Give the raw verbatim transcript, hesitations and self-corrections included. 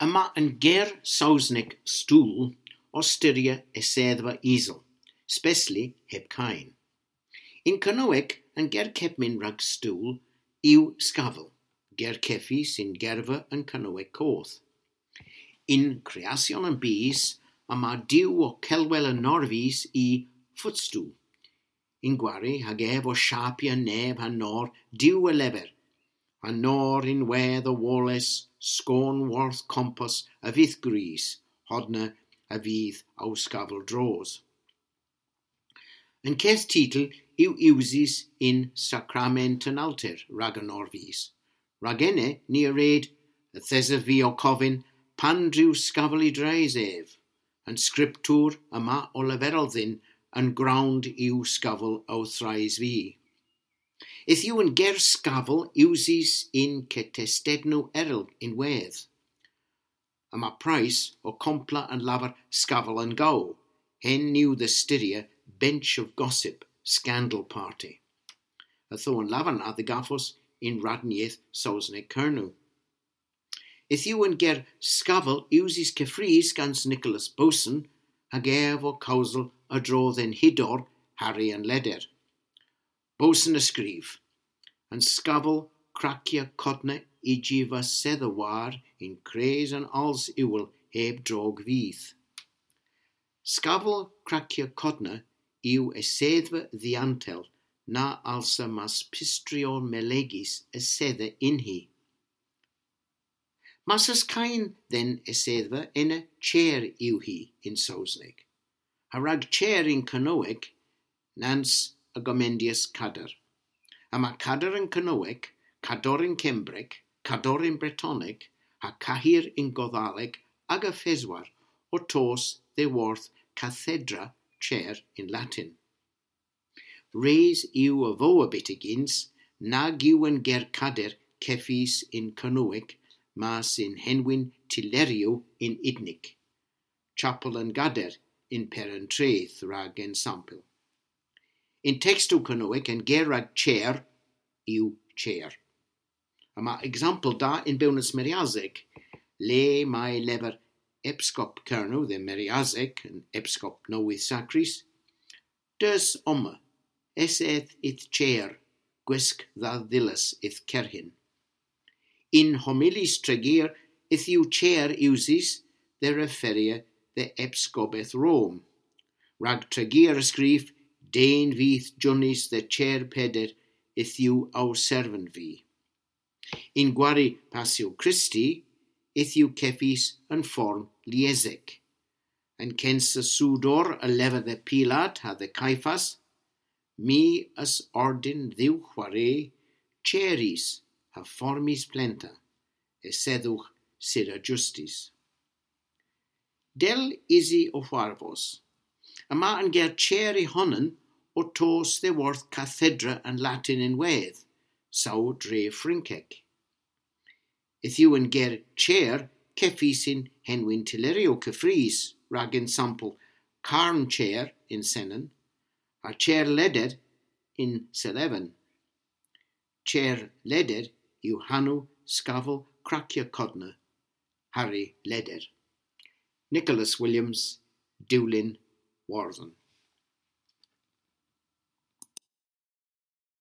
Yma an ger Sowsnek stool ow styrya esedhva isel, spesli heb keyn. Yn Kernowek, an ger kepmyn rag stool yw skavel, ger kevys yn gerva an Kernowek koth. Yn kreasyon an bys, yma diw ow kelwel an norvys y footstool. Yn gwari, hag ev ow shapya nev ha nor diw a lever, ha nor ynwedh a-woles, skon worth kompos a vydh gwrys, hodna a vydh ow skavel droos. An keth titel yw usys yn Sakrament an Alter rag an norvys. Rag ena ni a red, yth esov vy ow kovyn, pandr'yw skavel y dres ev. An Skriptur yma ow leverel dhyn, an grownd yw skavel ow threis vy. Yth yw an ger skavel usys yn ketestednow erel ynwedh. Yma prys ow kompla an lavar skavel an gow, henn yw dhe styrya bench of gossip, scandal party. Ytho an lavar na dhe gavos yn radn yeth Sowsnek Kernow. Yth yw an ger skavel usys keffrys gans Nicholas Boson, hag ev ow kewsel a-dro dhe'n hydor Harri an Leder. Boson a skrif: An skavel krakya kodna ijyva sedha war yn kres an als iwel heb drog vydh. Skavel krakya kodna yw esedhva dhiantel na alsa mas pystrior melegys esedha yn hi. Mas eus keyn dhe'n esedhva, ena chair yw hi yn Sowsnek. Ha rag chair yn Kernowek, nans a gomendyas kader. Yma kader yn Kernowek, kador yn Kembrek, kador yn Bretonek, ha kahir yn Godhalek, aga peswar ow tos dhyworth cathedra, chair yn Latin. Res yw a vowa byttegyns nag yw an ger kader kevys yn Kernowek, mas yn henwyn tylleryow yn Idnik. Chapel an Gader yn Peran Treth rag ensampel. Yn tekstow Kernowek, an ger rag chair yw chair. Yma eksampel da yn Bewnans Meryasek, le may lever epskop Kernow dhe Meryasek, an epskop nowydh sakrys: Deus omma, esedh y'th chair, gwisk dha dhillas y'th kerghyn. Yn homilys Tregear yth yw chair usys dhe referya dhe epskopeth Rom. Rag Tregear a skrif: Den vyth jonys dhe chair Peder yth yw ow servant vy. Yn gwari Passyow Kristi yth yw kevys an form liesek. An kensa soudor a lever dhe Pilat ha dhe Kayfas: My a'th ordyn dhywgh hware chairys ha formys plenta, esedhowgh sira justis. Dell ysi ow hwarvos. Yma an ger chair y honan ow tos dhyworth kathedra an Latin ynwedh, saw dre Frynkek. Yth yw an ger chair kevys yn henwyn tylleryow keffrys, rag ensampel Carn Chair yn Senan, ha Chair Leder yn Seleven. Chair Leder yw hanow skavel krakya kodna, Harri Leder. Nicholas Williams, Dewlin Wordhen.